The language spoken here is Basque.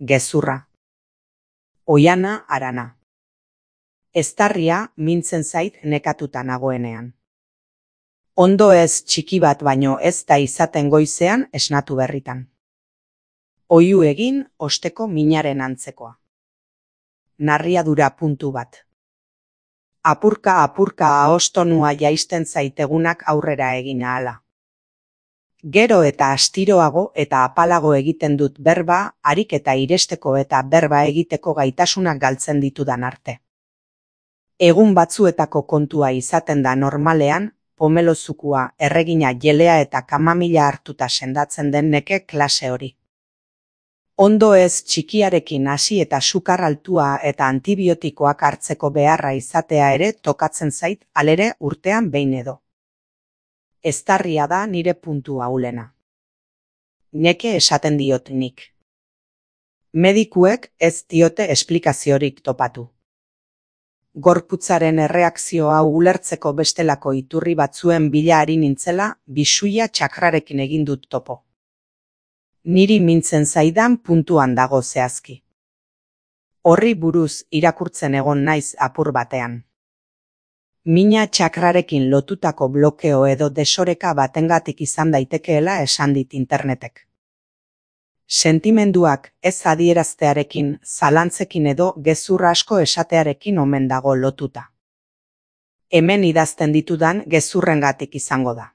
Gezurra. Oiana Arana. Eztarria mintzen zait nekatuta nagoenean. Ondo ez txiki bat baino ez da izaten goizean esnatu berritan. Oihu egin osteko minaren antzekoa. Narriadura puntu bat. Apurka ahostonua jaisten zaitegunak aurrera egin ahala. Gero eta astiroago eta apalago egiten dut berba, harik eta iresteko eta berba egiteko gaitasunak galtzen ditudan arte. Egun batzuetako kontua izaten da normalean, pomelozukua, erregina jelea eta kamamila hartuta sendatzen den neke klase hori. Ondo ez txikiarekin hasi eta sukar altua eta antibiotikoak hartzeko beharra izatea ere tokatzen zait halere urtean behin edo. Eztarria da nire puntu ahulena. Neke esaten diot nik. Medikuek ez diote esplikaziorik topatu. Gorputzaren erreakzio hau ulertzeko bestelako iturri batzuen bila ari nintzela, bisuia txakrarekin egin dut topo. Niri mintzen zaidan puntuan dago zehazki. Horri buruz irakurtzen egon naiz apur batean. Mina txakrarekin lotutako blokeo edo desoreka batengatik izan daitekeela esan dit internetek. Sentimenduak ez adieraztearekin, zalantzekin edo gezur asko esatearekin omen dago lotuta. Hemen idazten ditudan gezurrengatik izango da.